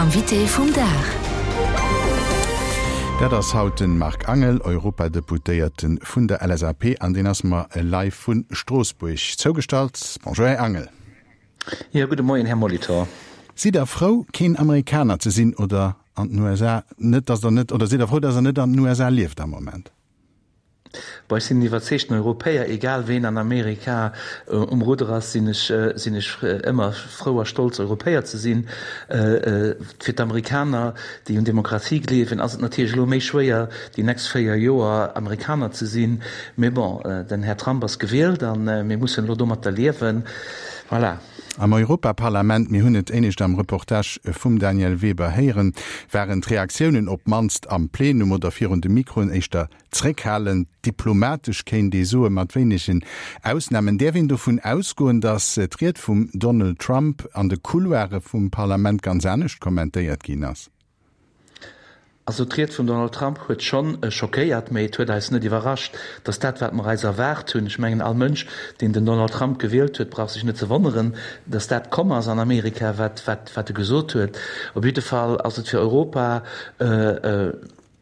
Invité vum Dag. Dat ass haut de Marc Angel, Europadeputéierte vun der LSAP, an deen ass mer live vu Stroossbuerg zougestallt. Bonjour, Här Angel. Jo, gudde Moien, Här Molitor. Sidd Der frou, keen Amerikaner ze sinn oder an den USA net, dass Der net, oder sidd Der frou, dass Der net an den USA lieft am Moment? Bon, ech sinn en iwwerzeegten Europäer, egal ween an Amerika um Rudder ass, sinn ech, sinn ech ëmmer frou a stolz Europäer ze sinn. Fir d'Amerikaner, déi un Demokratie gleewen, ass et natierlech elo méi schwéier déi nächst 4 Joer Amerikaner ze sinn. Mee bon, den Här Trump ass gewielt a mir mussen elo domatter liewen. Voilà. Am Europaparlament, mir hunn et éinescht am Reportage vum Danièle Weber héieren, waren d'Reaktiounen op d'mannst am Plenum oder virun de Mikroen éischter zréckhalend, diplomatesch kéint ee soen, mat wéinegen Ausnamen. Däerf een dovun ausgoen, datt d'Ried vum Donald Trump an de Couloire vum Parlament ganz anescht kommentéiert ginn ass? Also d'Ried vum Donald Trump huet schonn schockéiert, mee et huet eis net iwwerrascht. Et ass dat, wat mer eis erwaart hunn. Ech mengen, all Mënsch, deen den Donald Trump gewielt huet, brauch sech net ze wonneren, datt dat komm ass an Amerika, wat, wat, wat e gesot huet. Op jidde Fall ass et fir Europa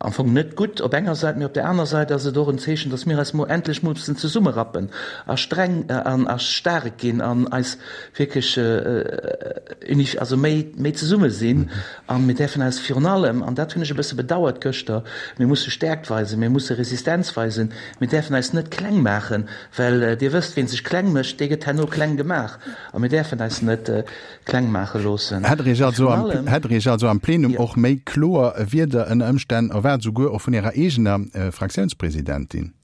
am Fong net gutt op enger Säit, mee op där aner Säit ass et och en Zeechen, datt mir eis mo endlech mussen zesummerappen a streng an a staark ginn an eis wierklech unif, also méi, méi zesumme sinn. A mir däerfen eis virun allem, an dat hunn ech e bësse bedauert gëschter, mir musse Stäerkt weisen, mir musse Resistenz weisen, mir däerfen eis net kleng maachen, well Dir wësst, ween sech kleng mécht, dee gëtt herno kleng gemaach. A mir däerfen eis net kleng maache loossen. Hätt Der Iech also am, hätt Der Iech also am Plenum och méi kloer Wierder ënner Ëmstänn erwaart, souguer och vun Ärer eegener Fraktiounspresidentin?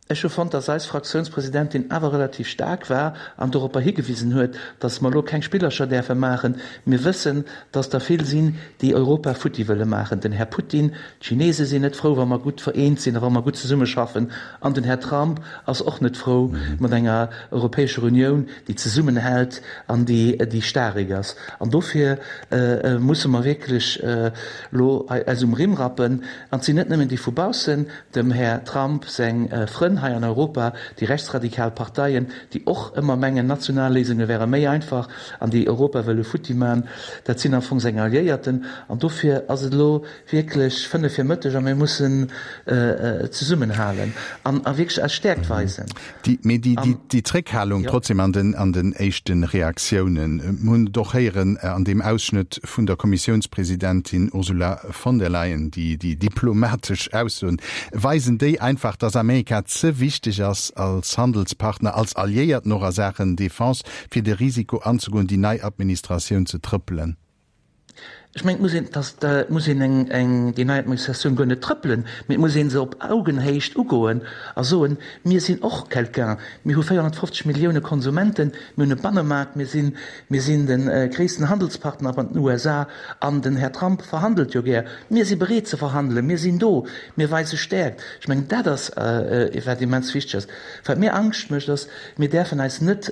Ech hu fonnt, dass eis Fraktiounspresidentin awer relativ staark war an doropper higewisen huet, dass mer elo keng Spillercher däerfe maachen. Mir wëssen, dass der vill sinn, déi Europa futti wëlle maachen. Den Här Putin, d'Chinese sinn net frou, wa mer gutt vereent sinn a wa mer gutt zesummeschaffen. An den Här Trump ass och net frou mat enger Europäescher Unioun, déi zesummenhält an déi staarek ass. An dofir musse mer wierklech elo eis um Rimm rappen. An et sinn net nëmmen déi vu baussen, Dem Här Trump seng Frënn hei an Europa, déi rechtsradikal Parteien, déi och ëmmer mengen, national Léisunge wäre méi einfach an déi Europa wëlle futti man, dat sinn am Fong seng Alliéierten. An dofir ass et elo wierklech 5 vir Mëtteg a mir mussen zesummenhalen an a wierklech eis Stäerkt weisen. Mee déi Zréckhalung trotzdem an den éischte Reaktiounen, mir hunn et och héieren an deem Ausschnëtt vun der Kommissiounspresidentin Ursula von der Leyen, déi diplomatesch Aussoen, weisen déi einfach, datt Amerika ze wichteg ass als Handelspartner, als Alliéierten och a Saachen Defense, fir de Risiko anzegoen, déi nei Administratioun ze trëppelen? Ech mengen, et muss een, dass, et muss een eng, eng, déi nei Administratioun guer net trëppelen, mee et muss ee se op Augenhéicht ugoen a soen, Mir sinn och quelqu'un, mir hu 450 Millioune Konsumenten, mir hunn e Bannemaart, mir sinn, mir sinn de gréissten Handelspartner mat den USA an den Här Trump verhandelt jo gär. Mir si bereet ze verhandelen, mir sinn do, mir weise Stäerkt. Ech mengen, dat ass, wat immens wichteg ass. Wat mir Angscht mécht, ass, mir däerfen eis net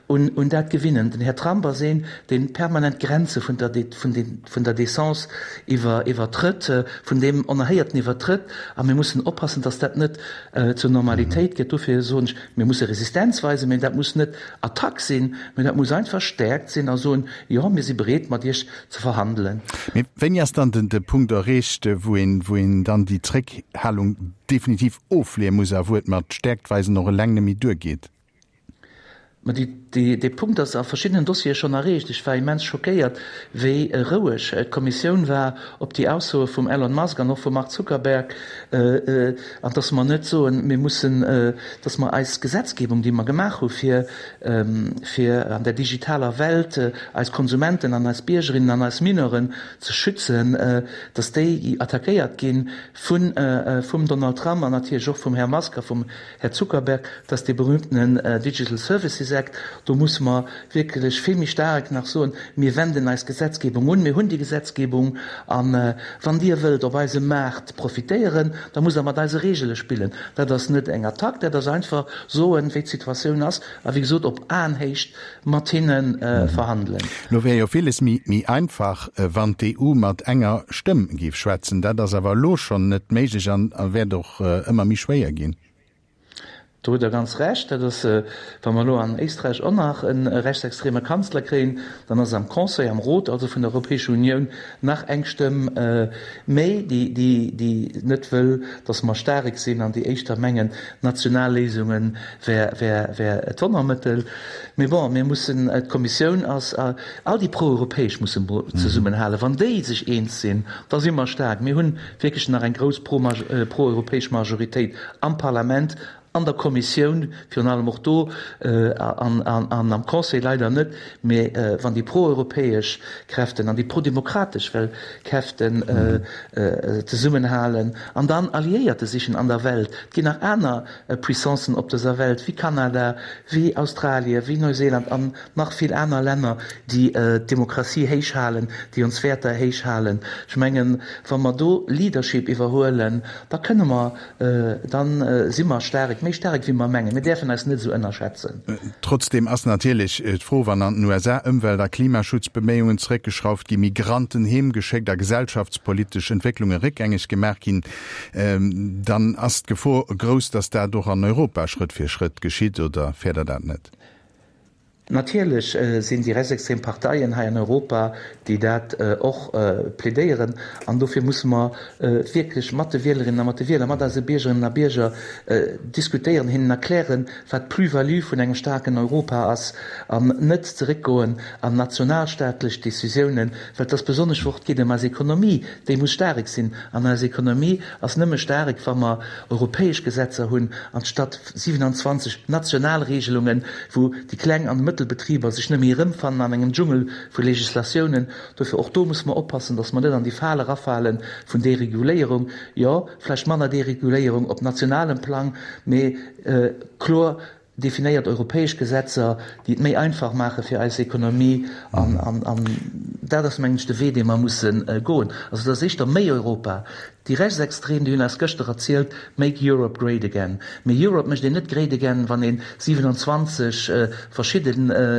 un dat gewinnen. Den Här Trump ass een, dee permanent d'Grenze vun der, vun der Décence iwwer, iwwertrëtt, vun deem Onerhéierten iwwertrëtt. A mir mussen oppassen, dass dat net zur Normalitéit gëtt. Dofir soen ech, mir musse Resistenz weisen, mä dat muss net Attack sinn, mä dat muss einfach Stäerkt sinn a soen, jo, mir si bereet, mat Iech ze verhandelen. Mee wéini ass dann de Punkt erreecht, wou een, wou een dann déi Zréckhalung definitiv ofleeë muss a wou et mat Stäerkt weisen och eleng net méi duergeet? Mä déi, dee Punkt ass a verschiddenen Dossiere schonn erreecht. Ech war immens schockéiert, wéi roueg d'Kommissioun war op déi Aussoe vum Elon Musk an och vum Mark Zuckerberg, an dass mer net soen, mir mussen, dass mer eis Gesetzgebung, déi mer gemaach hu fir, fir an der digitaler Welt eis Konsumenten an eis Biergerinnen an eis Mineuren ze schützen, dass déi attackéiert gi vun, vum Donald Trump an natierlech och vum Här Musk a vum Här Zuckerberg, dat ass dee berühmtenen Digital Services Act. Do musse mer wierklech vill méi staark nach soen, Mir wenden eis Gesetzgebung un, mir hunn déi Gesetzgebung, a wann Dir wëllt op eisem Maart profitéieren, da musst Der mat eise Regele spillen. Dat ass net eng Attack, dat ass einfach soen, wéi d'Situatioun ass a wéi gesot op Aenhéicht mat hinne verhandelen. Lo wär jo villes méi einfach, wann d'EU mat enger Stëmm géif schwätzen. Dat ass awer elo schonn net méiglech an wäert och ëmmer méi schwéier ginn. Do hutt Der ganz Recht. Dat ass, wa mer elo an Éisträich och nach e rechtsextreme Kanzler kréien, dann ass am Conseil, am Rot also vun der Europäescher Unioun nach eng Stëmm méi, déi, déi net wëll, datt mer staarek sinn an déi éischter mengen, national Léisunge wär, wär, wär d'Wonnermëttel. Mee bon, mir mussen, d'Kommissioun ass, all déi Proeuropäesch musse zesummenhalen. Wann déi sech eens sinn, da si mer staark. Mir hunn wierklech nach eng grouss proeuropäesch Majoritéit am Parlament, an der Kommissioun, virun allem och do, an am Conseil leider net, mä wann déi proeuropäesch Kräften an déi prodemokratesch well Kräften zesummenhalen an dann Alliéierte sichen an der Welt, et ginn nach aner Puissancen op dëser Welt, wéi Kanada, wéi Australie, wéi Neuseeland an nach vill aner Länner, déi d'Demokratie héich halen, déi ons Wäerter héich halen. Ech mengen, wa mer do Leadership iwwerhuelen, da kënne mer, da si mer staark, méi staark wéi mer mengen. Mir däerfen eis net esou ënnerschätzen. Trotzdeem ass natierlech d'Fro, wann an den USA Ëmwelt a Klimaschutzbeméiungen zeréckgeschrauft ginn, Migranten heemgeschéckt a gesellschaftspolitesch Entwécklunge réckgängeg gemaach ginn, dann ass d'Gefor grouss, datt dat och an Europa Schrëtt fir Schrëtt geschitt. Oder fäert Der dat net? Natierlech sinn déi rechtsextrem Parteien hei an Europa, déi dat och plädéieren. An dofir musse mer wierklech mat de Wielerinnen a mat de Wieler, mat eise Biergerinnen a Bierger diskutéieren, hinnen erklären, wat d'Plus-value vun engem staarken Europa ass, an net zeréckgoen an nationalstaatlech Décisiounen, well et ass besonnesch och, et geet ëm eis Ekonomie, déi muss staarek sinn. An eis Ekonomie ass nëmme staarek, wa mer europäesch Gesetzer hunn, anstatt 27 national Regelungen, wou déi kleng an mëttel Betriber sech net méi erëmfannen an engem Dschungel vu Legislatiounen. Dofir och do musse mer oppassen, dass mer net an déi Fal erafale vun Dereguléierung. Jo, vläicht manner Dereguléierung op nationalem Plang, mee kloer definéiert europäesch Gesetzer, déi et méi einfach maache fir eis Ekonomie. An dat ass, mengen ech, de Wee, dee mer musse goen. Also et ass éischter méi Europa. Déi Rechtsextrem, déi hunn eis gëschter erzielt, Make Europe great again. Mee Europe mécht een net great again, wann ee 27 verschidde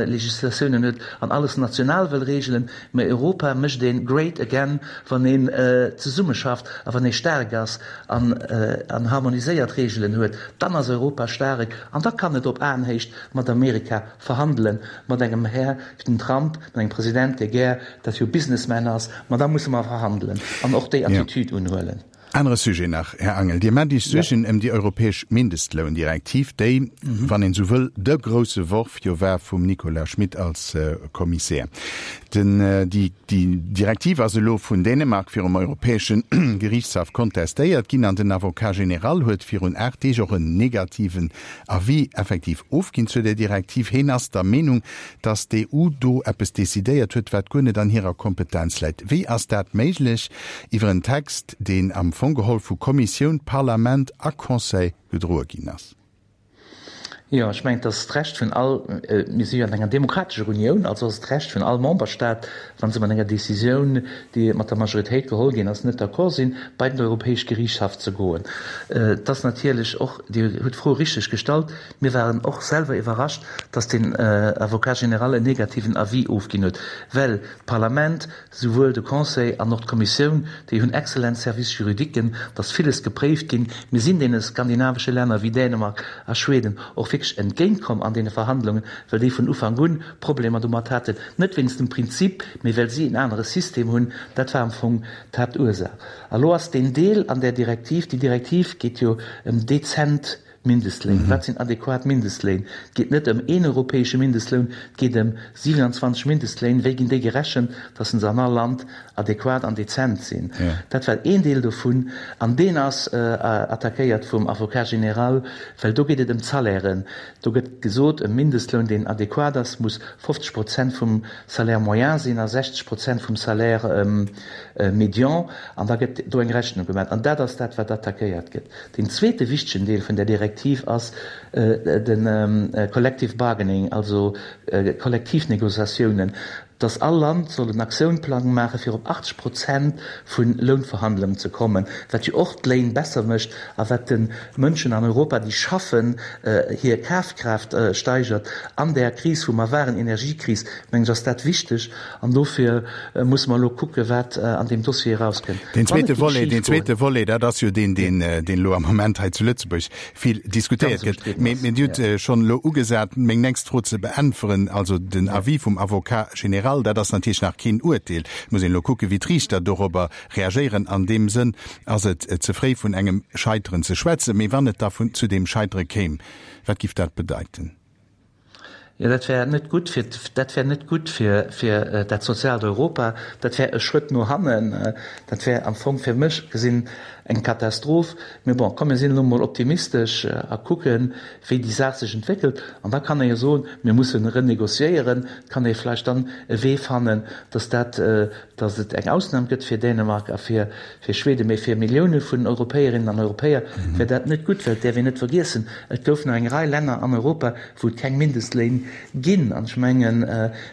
Legislatiounen huet an alles national wëll reegelen. Mee Europa mécht een great again, wann een zesummeschafft a wann ee staark ass an harmoniséiert Reegelen huet. Dann ass Europa staark an da kann et op Aenhéicht mat Amerika verhandelen, mat engem Här wéi den Trump, mat engem President, dee gär, dat jo Businessman ass, ma da musse mer verhandelen an och déi Attitude unhuelen. Anere Sujet nach, Här Angel, Dir maacht Iech Suergen ëm déi europäesch Mindestloundirektiv, déi, wann een esou wëll, de grousse Worf jo war vum Nicolas Schmit als Kommissär. Den, déi, déi Direktiv ass elo vun Dänemark virum Europäesche Geriichtshaff kontestéiert ginn an den Avocat général huet virun 8 Deeg och en negativen Avis effektiv ofginn zu där Direktiv. Heen ass der Meenung, datt d'EU do eppes decidéiert huet, wat guer net an hirer Kompetenz läit. Wéi ass dat méiglech iwwer en Text, deen am Fong geholl vu Kommissioun, Parlament a Conseil gedroe ginn ass? Jo, ech mengen, et ass d'Recht vun all, mir si jo an enger demokratescher Unioun, also ass et d'Recht vun all Memberstaat, wa se mat enger Décisioun, déi mat der Majoritéit geholl ginn ass, net d'accord sinn, bei den Europäesch Geriichtshaff ze goen. Et ass natierlech och, Dir hutt d'Fro richteg gestallt, mir waren och selwer iwwerrascht, dass den Avocat général en negativen Avis ofginn huet, well d'Parlament, souwuel de Conseil an och d'Kommissioun, déi hunn excellent Services juridiquen, et ass villes gepréift ginn. Mir sinn deene skandinavesche Länner wéi Dänemark a Schweden och wierklech entgéintkomm an deene Verhandlungen, well déi vun Ufank un Problemer domat haten, net wéinst dem Prinzip, mee well si en anere System hunn. Dat war am Fong d'Haaptursaach. A lo ass deen Deel an där Direktiv, déi Direktiv geet jo ëm dezent Mindestléin. Wat sinn adequat Mindestléin? Et geet net ëm een europäesche Mindestloun, et geet ëm 27 Mindestléin. Wéi ginn déi gerechent, dass se an all Land adequat an dezent sinn? Dat war een Deel dovun. An deen ass attackéiert vum Avocat général, well do geet et ëm d'Salairen. Do gëtt gesot, e Mindestloun, deen adequat ass, muss 50 Prozent vum Salaire moyen sinn a 60 Prozent vum Salaire médian. An da gëtt do eng Rechnung gemaach. An dat ass dat, wat attackéiert gëtt. Deen zweete wichtegen Deel vun där Direktiv ass de Collective Bargaining, also Kollektivnegociatiounen. Dass all Land soll en Aktiounplang maache fir op 80 Prozent vu Lounverhandlungen ze kommen, wat jo och d'Léin besser mécht a wat de Mënschen an Europa, déi schaffen, hir Kafkraaft steigert. An där Kris, wou mer waren, Energiekris, mengen ech, ass dat wichteg. An dofir musse mer elo kucken, wat an deem Dossier erauskënnt. Deen zweete Volet, deen zweete Volet, dat ass jo deen, deen, deen elo am Moment hei zu Lëtzebuerg vill diskutéiert gëtt. Mee Dir hutt schonn elo ugesat, meng nächst Fro ze beäntweren, also den Avis vum Avocat général, dat ass natierlech nach keen Uerteel. Et muss een elo kucken, wéi d'Riichter dorobber reagéieren. An deem Sënn ass et ze fréi vun engem Scheiteren ze schwätzen. Mee wann et da zu deem Scheitere kéim, wat giff dat bedeiten? Jo, dat wär net gutt fir, dat wär net gutt fir, fir dat soziaalt Europa. Dat wär e Schrëtt no hannen. Dat wär am Fong fir mech gesinn eng Katastroph. Mee bon, komm mir sinn elo mol optimistesch a kucken, wéi déi Saach sech entwéckelt. An da kann ee jo soen, mir mussen renegociéieren. Et kann ee vläicht dann e Wee fannen, dass dat, dass et eng Ausnam gëtt fir Dänemark a fir, fir Schweden. Mee fir Millioune vun Europäerinnen an Europäer wär dat net gutt, well et däerf een net vergiessen, et goufen nach eng Rei Länner an Europa, wou et keng Mindestléin ginn. An ech mengen,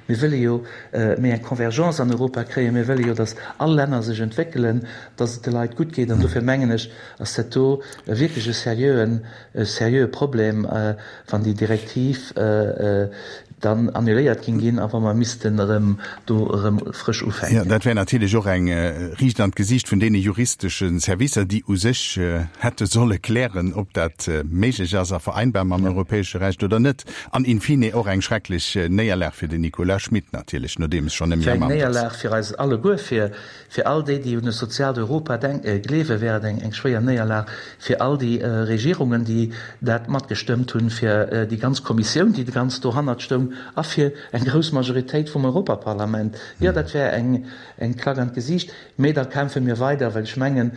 mir wëlle jo méi eng Convergence an Europa kréien, mir wëlle jo, datt all Länner sech entwéckelen, datt et de Leit gutt geet. An dofir mengen ech, ass dat do wierklech e seriöen, e seriöe Problem, wann déi Direktiv dann annuléiert géing ginn a wa mer missten erëm do erëm frësch ufänken. Jo, dat wär natierlech och eng riicht an d'Gesiicht vun deene juristesche Servicer, déi u sech hätte solle klären, ob dat méiglech ass a vereinbar mam europäesche Recht oder net. An in fine och eng schrecklech Néierlag fir den Nicolas Schmit natierlech, nodeems schonn nëmme am Amt ass. Eng Néierlag fir eis alleguer, fir Fir all déi, déi un e soziaalt Europa gleewen, wär et eng schwéier Néierlag. Fir all déi Regierungen, déi dat matgestëmmt hunn, fir déi ganz Kommissioun, déi ganz dohannert stoung, a fir eng grouss Majoritéit vum Europaparlament. Jo, dat wär eng Klack an d'Gesiicht. Mee da kämpfe mir weider, well ech mengen,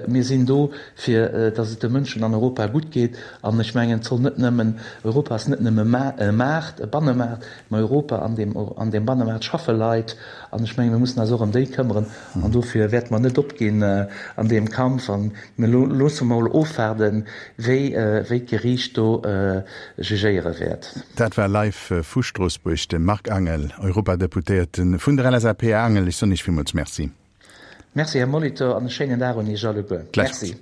mir sinn do, fir datt et de Mënschen an Europa gutt geet. An ech mengen, et soll net nëmmen, Europa ass net nëmme e Maart, e Bannemaart, mä Europa, an deem Bannemaart schaffe Leit. An ech menge mir mussen eis och ëm déi këmmeren. An dofir wäerte mer net opginn an deem Kampf. A mir loosse mol ofwaarden, wéi wéi d'Geriicht do jugéiere wäert. Dat war live vu Stroossbuerg de Marc Angel, Europadeputéierte vun der LSAP. Här Angel, ech soen Iech villmools Merci. Merci, Här Molitor, an e schéinen Dag un Iech alleguer. Merci.